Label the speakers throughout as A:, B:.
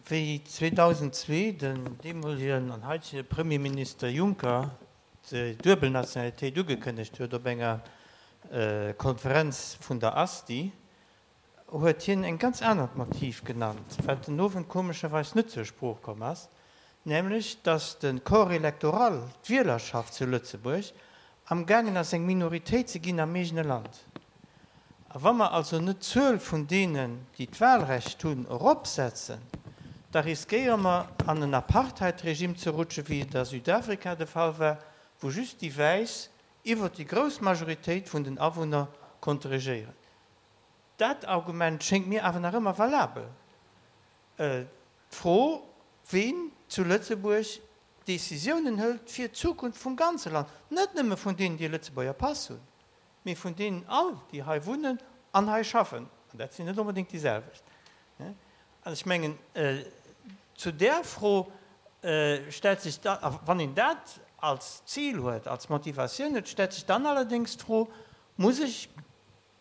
A: Wéi 2002 den deemolegen an haitege Premierminister Juncker d'duebel Nationalitéit ugekënnegt huet op enger Konferenz vun der ASTI, huet hien eng ganz anert Motiv genannt, wat den Owend komescherweis net zur Sprooch komm ass, nämlech datt de Corps électoral, d'Wielerschaft zu Lëtzebuerg, amgaangen ass eng Minoritéit ze ginn am eegene Land. A wa mer also net d'Zuel vun deenen, déi d'Wahlrecht hunn, eropsetzen, da riskéiere mer an en Apartheid-Regime ze rutschen, wéi et a Südafrika de Fall war, wou just déi Wäiss iwwert déi grouss Majoritéit vun den Awunner konnte regéieren. Dat Argument schéngt mir awer nach ëmmer valabel. D'Fro, ween zu Lëtzebuerg Décisiounen hëlt fir d'Zukunft vum ganze Land, net nëmme vun deenen, déi e Lëtzebuerger Pass hunn, mee vun deenen all, déi hei wunnen an hei schaffen, an dat sinn net onbedéngt déi selwecht. An ech mengen, zu där Fro stellt sech da, a wann een dat als Zil huet, als Motivatioun huet, stellt sech dann allerdéngs d'Fro, Muss ech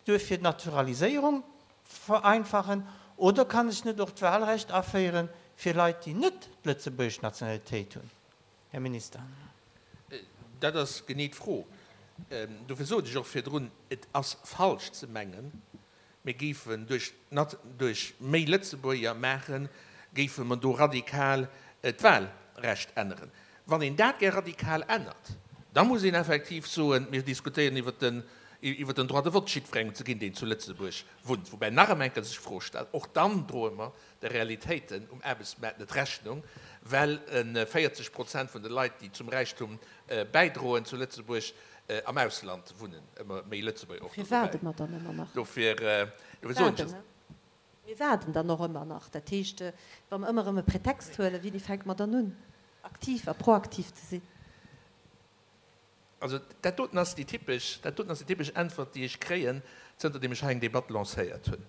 A: duerfir d'Naturaliséierung vereinfachen oder kann ech net och d'Wahlrecht aféiere fir Leit, déi net d'lëtzebuergesch Nationalitéit hunn? Här Minister.
B: Dat ass genee d'Fro. Dofir sot ech och virdrun, et ass falsch ze mengen, mir géifen duerch duerch méi Lëtzebuerger maachen, géife mer do radikal d'Wahlrecht änneren. Wann een dat gär radikal ännert, da muss een effektiv soen, mir diskutéieren iwwert den iwwert den Droit de vote jiddwerengem ze ginn, deen zu Lëtzebuerg wunnt. Woubäi nach ëm eng Kéier sech d'Fro stellt, och dann droe mer de Realitéiten um Aarbechtsmaart net Rechnung, well 40 Prozent vun de Leit, déi zum Räichtum bäidroen zu Lëtzebuerg, am Ausland wunnen, ëmmer méi Lëtzebuerger och do
C: Mir waarde mer dann ëmmer nach.
B: Dofir soen ech es.
C: Mir waarden dann och ëmmer nach. Dat heescht, wa mer ëmmer erëm e Pretext huelen, wéini fänke mer dann un, aktiv a proaktiv ze sinn?
B: Also dat doten ass déi typesch, dat doten ass déi typesch Äntwert, déi ech kréien, zënterdeem ech hei eng Debatt lancéiert hunn.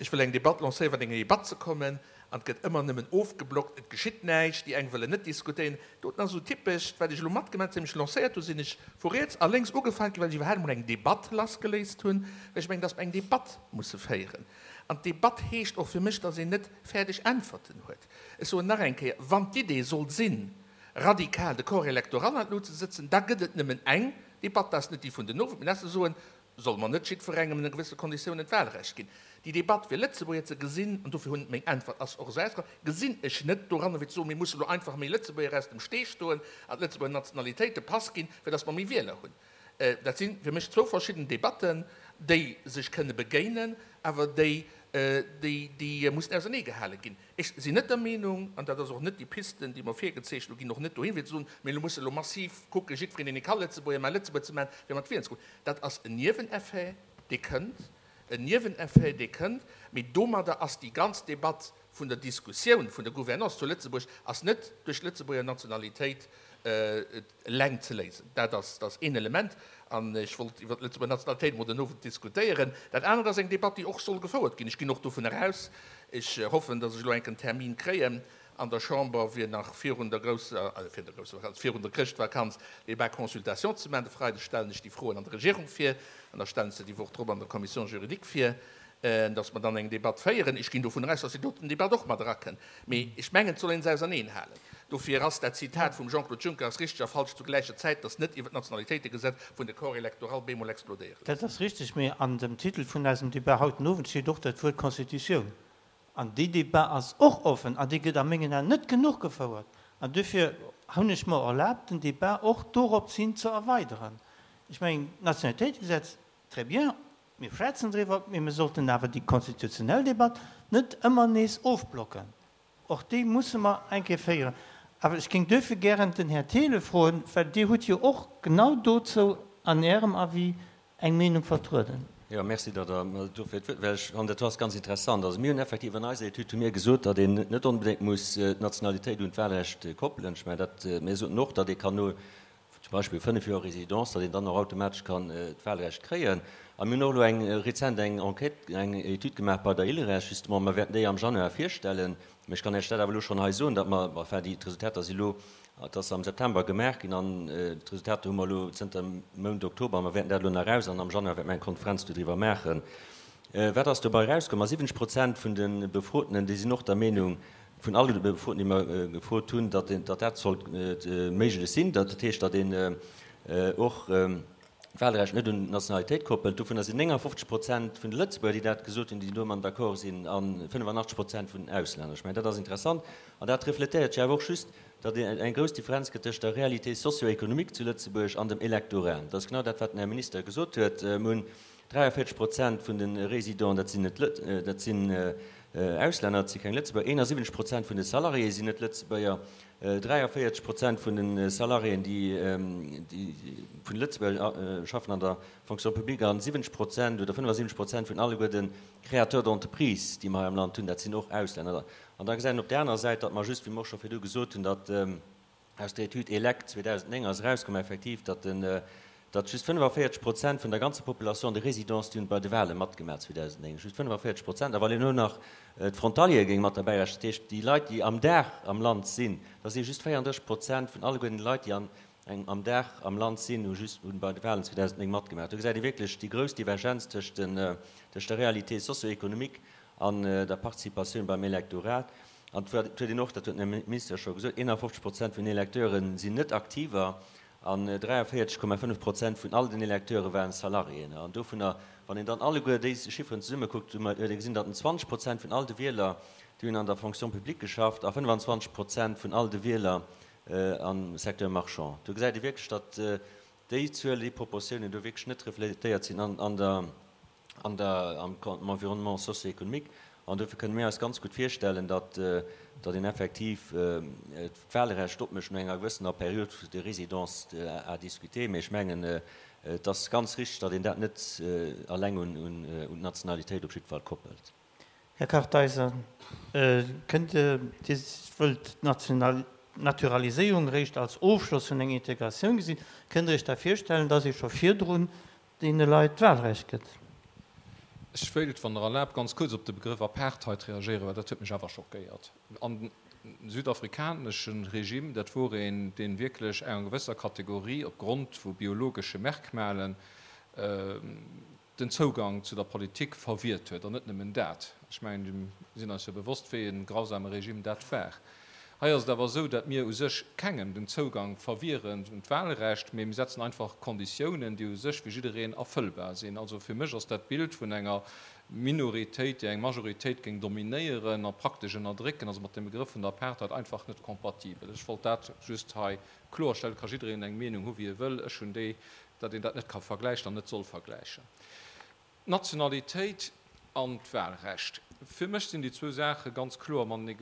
B: Ech wëll eng Debatt lancéieren, fir an eng Debatt ze kommen, an et gëtt ëmmer nëmmen ofgeblockt, et geschitt näischt, déi eng wëllen net diskutéieren. Doten ass esou typesch, wat ech elo matgemaach hunn, zënter ech lancéiert hunn, sinn ech vu riets a lénks ugefaangen ginn, well ech iwwerhaapt emol eng Debatt lassgeléist hunn, well ech mengen, dass mer eng Debatt musse féieren. An d'Debatt heescht och fir mech, dass een net fäerdeg Äntwerten huet. Ech soen nach eng Kéier, wann d'Idee sollt sinn, radikal de Corps électoral an d'Lut ze sëtzen, da gëtt et nëmmen eng Debatt, dat ass net déi vun den Owend, mä dat ass ze soen, solle mer net jiddwerengem ënner gewësse Konditiounen d'Wahlrecht ginn. Déi Debatt fir Lëtzebuerger ze gesinn, an dofir hunn meng Äntwert ass och esou ausgefall, gesinn ech net doranner fir ze soen, mir musse lo einfach méi Lëtzebuerger aus dem Stee stoen an d'Lëtzebuerger Nationalitéit de Pass ginn, fir datt mer méi Wieler hunn. Dat si fir mech zwou verschidden Debatten, déi sech kënne begéinen, awer déi, déi mussen auserneegehale ginn. Ech sinn net der Meenung, an dat ass och net déi Piste, déi mer virgezeechent hunn, ginn och net dohin, fir ze soen, mir musse elo massiv kucken, jiddwereen, deen ee ka Lëtzebuerger maachen, Lëtzebuerger ze maachen, fir mat wielen ze goen. Dat ass en Nieweneffet, dee kënnt, en Nieweneffet, dee kënnt, mee domadder ass déi ganz Debatt vun der Diskussioun vun der Gouvernance zu Lëtzebuerg ass net duerch d'Lëtzebuerger Nationalitéit eleng ze léisen. Dat ass, dat ass een Element, an ech wollt iwwert d'Lëtzebuerger Nationalitéit emol den Owend diskutéieren. Dat anert ass eng Debatt, déi och soll gefouert ginn. Ech ginn och dovunner aus, ech hoffen, datt ech elo enk en Termin kréien an der Chamber, fir nach virun der grousser, also virun der grousser Vakanz, virun der Chrëschtvakanz Débat consultation ze maachen. De Freideg stellen ech déi Froen an der Regierung vir an da stellen ech se déi Woch drop an der Commission juridique vir. dass mer dann eng Debatt féieren. Ech ginn dovun aus, dass déi doten Debatt och mat erakënnt. Mee ech mengen, et soll ee se auserneenhalen. Dofir ass dat Zitat vum Jean-Claude Juncker ass richteg a falsch zu gläicher Zäit, dass net iwwer d'Nationalitéitegesetz vun de Corps électoral bemol explodéiere
A: Dat ass richteg, mee an dem Titel vun eisem Debat haut den Owend steet och dat Wuert Constitutioun. An déi Debat ass och offen an déi gëtt a mengen Aen net genuch gefouert. An duerfir hunn ech mer erlaabt, den Debat och dorops hin ze erweideren. Ech mengen, d'Nationalitéitegesetz, très bien, Mir schwätzen driwwer, mee mir sollten awer déi konstitutionell Debatt net ëmmer nees ofblocken. Och déi musse mer eng Kéier féieren. Awer ech géing duerfir gären den Här Thelen froen, well Dir hutt jo och genau dozou an Ärem Avis eng Meenung vertrueden.
D: Jo, merci, datt Der mer dofir d'Wuert, well ech fannen, dat do ass ganz interessant. Also mir hunn effektiv an eiser Etüd hu mir gesot, datt een net onbedéngt muss d'Nationalitéit un d'Wahlrecht koppelen. Ech mengen dat, mir soten och, datt ee kann no zum Beispill 5 Joer Résidence, datt een dann och automatesch kann d'Wahlrecht kréien. A mir hunn och elo eng rezent eng Enquête, eng Etüd gemaach bei der ILReS justement, mer wäerten déi am Januar virstellen, mä ech kann Iech dat awer elo schonn hei soen, datt mer, enfin déi d'Resultater si elo, et ass am September gemaach ginn an d'Resultater hu mer elo zënter dem Mount Oktober a mer wäerten dat elo nach eraus an am Januar wäerte mer eng Konferenz dodriwwer maachen. Wat ass dobei erauskomm? Ma 70 Prozent vun de Befrotenen, déi sinn och der Meenung, Vun alle Befroten, déi mer gefrot hunn, datt dat sollt méiglech sinn, dat heescht, datt een och d'Wahlrecht net un d'Nationalitéit koppelt. Dovunner sinn 59 Prozent vun de Lëtzebuerger, déi dat gesot hunn, déi domat d'accord sinn, a 85 Prozent vun den Auslänner. Ech mengen, dat ass interessant an dat refletéiert jo awer och just, datt et eng grouss Differenz gëtt tëscht der Réalité socio-économique zu Lëtzebuerg an dem Electorat. Dat ass genau dat, wat den Här Minister gesot huet. Mir hunn 43 Prozent vun de Résidenten, dat sinn net, dat sinn Auslänner, dat si keng Lëtzebuerger. 71 Prozent vun de Salariéë sinn net Lëtzebuerger. 43 Prozent vun de Salariéen, déi vun de Lëtzebuerger schaffen an der Fonction publique an 70 Prozent oder 75 Prozent vun alleguer de Créateurs d'entreprise, déi mer hei am Land hunn, dat sinn och Auslänner. An da gesäit een op där anerer Säit, datt mer just, wéi mer och scho virdu gesot hunn, datt Aus der Etüd Elect 2009 ass erauskomm effektiv, datt den, datt just 45 Prozent vun der ganzer Population de résidence, déi hunn bei de Wale matgemaach 2009, just 45 Prozent. A wann een elo nach d'Frontaliere géing mat derbäi rechnen, dat heescht déi Leit, déi am Dag am Land sinn, da si just 34 Prozent vun alleguerten de Leit, déi an engem am Dag am Land sinn, hu just hunn bei de Walen 2009 matgemaach. Do gesäit ee wierklech déi grouss Divergenz tëscht den, tëscht der Réalité socio-économique an der Participatioun beim Electorat. An et huet een och, dat huet den Här Minister scho gesot, 51 Prozent vun den Electeure sinn net Aktiver an 43,5 Prozent vun all den Electeure waren Salariéen. An dovunner, wann een dann alleguer déi Chifferen zesummekuckt, huet ee gesinn, datt 20 Prozent vun all de Wieler, déi hunn an der Fonction publique geschafft a 25 Prozent vun all de Wieler am Secteur marchand. Do gesäit ee wierklech, datt déi Zuelen, déi Proportiounen do wierklech net refletéiert sinn an der an der, am Environnement socio-économique. An dofir kënne mir eis ganz gutt virstellen, datt, datt een effektiv d'Wahlrecht opmécht no enger gewëssener Période de résidence à discuter. Mee ech mengen, et ass ganz richtig, datt een dat net alleng un, un d'Nationalitéit op jidde Fall koppelt.
A: Här Kartheiser, kënnt Dir, Dir wëllt d'Naturaliséierung eréischt als Ofschloss vun enger Integratioun gesinn, kënnt Dir Iech da virstellen, datt ee scho virdrun deene Leit d'Wahlrecht gëtt.
E: Ech wéilt, wann Der erlaabt, ganz kuerz op de Begrëff Apartheid reagéieren, well dat huet mech awer schockéiert. An den südafrikanesche Regime, dat wor een, dee wierklech enger gewësser Kategorie op Grond vu biologesche Merkmalen den Zougang zu der Politik verwiert huet. An net nëmmen dat. Ech mengen, mir sinn eis jo bewosst, wéi e grausame Regime dat war. Hei ass et awer esou, dat mir u sech kengem den Zougang verwieren un d'Wahlrecht, mee mir setzen einfach Konditiounen, déi u sech fir jiddereen erfëllbar sinn. Also fir mech ass dat Bild vun enger Minoritéit, déi eng Majoritéit géing dominéieren a praktesch ënnerdrécken, also mat dem Begrëff vun der Apartheid einfach net kompatibel. Ech wollt dat just hei kloerstellen. Et ka jiddereen eng Meenung hu wéi e wëll. Ech hunn déi, dat een dat net ka vergläichen an net soll vergläichen. D'Nationalitéit an d'Wahlrecht. Fir mech sinn déi zwou Saache ganz kloer matenee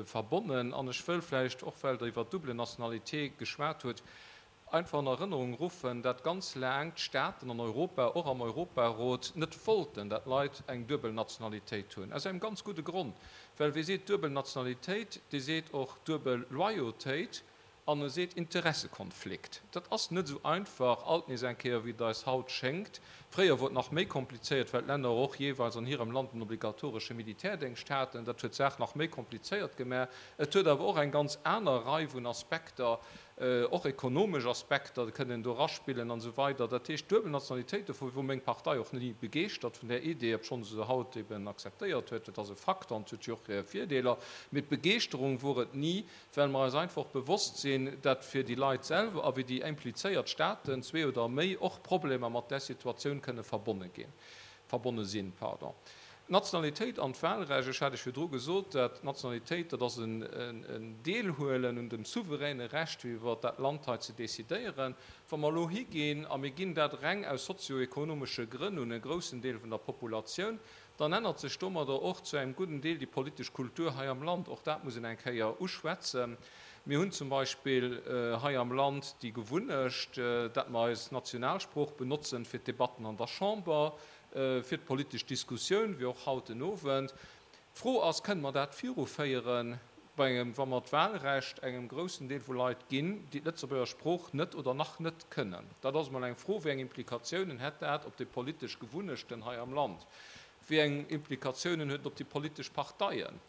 E: verbonnen. An ech wëll vläicht, och well Der iwwer d'double Nationalité geschwat hutt, einfach an Erënnerung ruffen, dat ganz laang d'Staaten an Europa, och am Europarot, net wollten, dat Leit eng duebel Nationalitéit hunn. Aus engem ganz gudde Grond, well wee seet duebel Nationalitéit, dee seet och duebel Loyautéit. An e seet Interessekonflikt. Dat ass net esou einfach alt nees eng Kéier, wéi et eis haut schéngt. Fréier wor et nach méi komplizéiert, well d'Länner och jeeweils an hirem Land en obligatoresche Militärdéngscht haten. Dat huet d'Saach nach méi komplizéiert gemaach. Et huet awer och eng ganz aner Rei vun Aspekter, och ekonomesch Aspekter kënnen do eraspillen an esou weider. Dat heescht, d'duebel Nationalitéit, dovun wor meng Partei och ni begeeschtert vun där Idee, obschonn se se haut eben akzeptéiert huet, dat ass e Fakt an et huet jo och hir Virdeeler, mee d'Begeeschterung wor et ni. well mer eis einfach bewosst sinn, dat fir déi Leit selwer a fir déi implizéiert Staten, zwee oder méi, och Problemer mat där Situatioun kënne verbonne ginn, verbonne sinn. Pardon. D'Nationalitéit an d'Wahlrecht, ech hat Iech virdru gesot, dat d'Nationalitéit, dat ass en Deelhuelen un dem souveräne Recht, fir iwwert dat Land hei ze decidéieren. Wa mer elo higinn a mir ginn dat reng aus sozioekonomesche Grënn un e groussen Deel vun der Populatioun, Dann ännert sech domadder och zu engem gudden Deel déi politesch Kultur hei am Land. Och dat muss een eng Kéier uschwätzen. Mir hunn zum Beispill hei am Land déi Gewunnecht, dat mer eis Nationalsprooch benotzen fir d'Debatten an der Chamber, fir d'politesch Diskussioun, wéi och haut den Owend. D'Fro ass, Kënne mer dat viruféieren bei engem, wa mer d'Wahlrecht engem groussen Deel vu Leit ginn, déi d'Lëtzebuerger Sprooch net oder nach net kënnen? Dat ass emol eng Fro. Wéi eng Implikatiounen hätt dat op déi politesch Gewunnechten hei am Land? Wéi eng Implikatiounen huet et op déi politesch Parteien?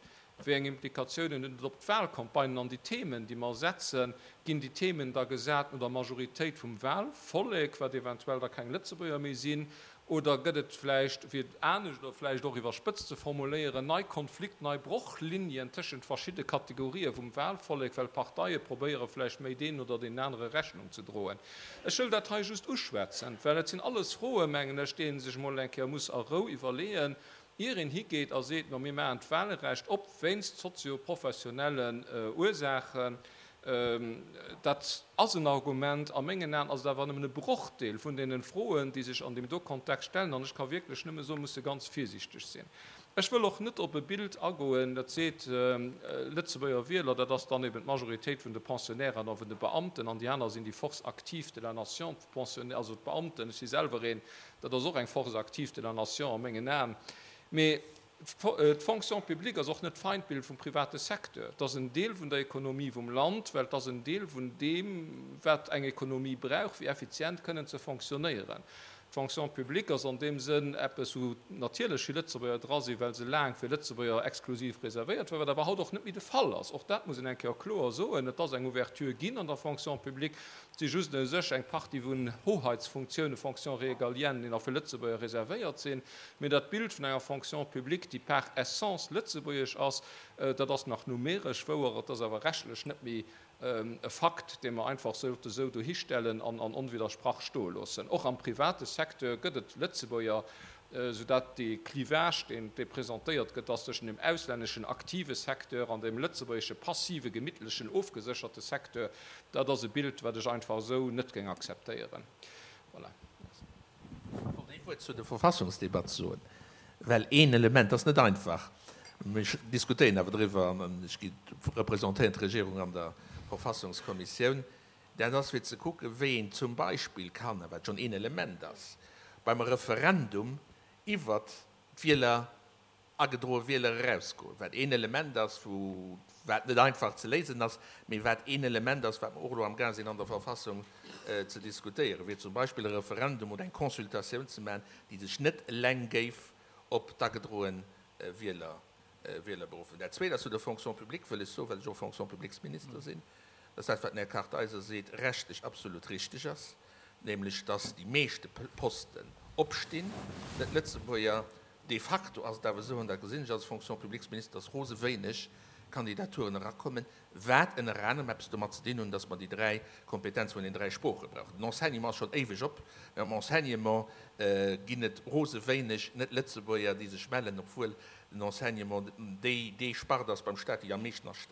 E: Wéi eng Implikatiounen huet et op d'Wahlcampagnen an déi Themen, déi mer setzen? Ginn déi Themen da gesat no der Majoritéit vum Wahlvollek, wat eventuell da keng Lëtzebuerger méi sinn? Oder gëtt et vläicht, fir et anescht oder vläicht och iwwerspëtzt ze formuléieren, nei Konflikt-, nei Brochlinien tëschent verschidde Kategorië vum Wahlvollek, well Parteie probéiere vläicht méi deenen oder deenen anere Rechnung ze droen? Ech wëll dat hei just uschwätzen, well et sinn alles Froen, mengen ech, déi ee sech emol eng Kéier muss a Rou iwwerleeën, ier een higeet a seet, ma mir maachen d'Wahlrecht op wéinst sozio-professionellen Ursaachen. Dat ass en Argument. A mengen Aen ass et awer nëmmen e Brochdeel vun deene Froen, déi sech an deem do Kontext stellen. An ech ka wierklech nëmme soen, musse ganz virsiichteg sinn. Ech wëll och net op e Bild agoen, dat seet, Lëtzebuerger Wieler, dat ass dann eben d'Majoritéit vun de Pensionnairen a vun de Beamten, an déi aner sinn déi Force active de la nation, d'Pensionnaires, also d'Beamten. Ech si selwer een, dat ass och eng Force active de la nation a mengen Aen. Mee D'Fonction publique ass och net d'Feindbild vum private Secteur. Et ass en Deel vun der Ekonomie vum Land, well et ass en Deel vun deem, wat eng Ekonomie brauch, fir effizient kënnen ze fonctionnéieren. D'Fonction publique ass an deem Sënn eppes, wou natierlech vill Lëtzebuerger dra sinn, well se laang fir Lëtzebuerger exklusiv reservéiert war, wat awer haut och net méi de Fall ass. Och dat muss een eng Kéier kloer soen. Et ass eng Ouverture ginn an der Fonction publique. Et si just u sech eng Partie vun Hoheitsfunktiounen, Fonctions régaliennes, déi nach fir Lëtzebuerger reservéiert sinn. Mee dat Bild vun enger Fonction publique, déi par essence lëtzebuergesch ass, dat ass nach numeresch wouer, et ass awer rechtlech net méi e Fakt, dee mer einfach sollte sou dohistellen an onwiddersprach stoe loossen. Och am private Secteur gëtt et Lëtzebuerger, soudatt dee Clivage, deen dee presentéiert gëtt, ass tëschent dem auslänneschen aktive Secteur an dem lëtzebuergesche passive, gemittlechen, ofgesécherte Secteur, dat ass e Bild, wat ech einfach esou net géing akzeptéieren. Voilà.
B: Merci. Ech wollt ee Wuert zu der Verfassungsdebatt soen, well een Element ass net einfach, mir diskutéieren awer driwwer an ech representéieren d'Regierung an der Verfassungskommissioun, dat ass fir ze kucken, wéi een zum Beispill kann, a wat schonn een Element ass, beim Referendum iwwert d'Wieler agedroe Wieler erausgoen, wat een Element ass, wou, wat net einfach ze léisen ass, mee wat een Element ass, wat mer och elo amgaang sinn an der Verfassung ze diskutéieren, wier zum Beispill e Referendum oder eng Consultatioun ze maachen, déi sech net eleng géif op d'agedroe Wieler, Wieler beruffen. Dat Zweet ass zu der Fonction publique, wëll ech soen, well ech och Fonction-publiques-Minister sinn, dass dat, wat den Här Kartheiser seet, rechtlech absolut richtig ass, nämlech dass déi meeschte Posten opstinn, net Lëtzebuerger. De facto ass et awer esou, an dat gesinn ech als Fonction-publiques-Minister, dass rose wéineg Kandidaturen erakommen, wat ënner anerem eppes domat ze dinn hunn, dass mer déi 3 Kompetenze vun den 3 Sprooche brauchen. Den Enseignement ass schonn éiweg op, mä am Enseignement ginn et rose wéineg Net-Lëtzebuerger, déi sech mellen, obwuel den Enseignement déi, déi Spart ass beim Stat, déi am meeschten astellt.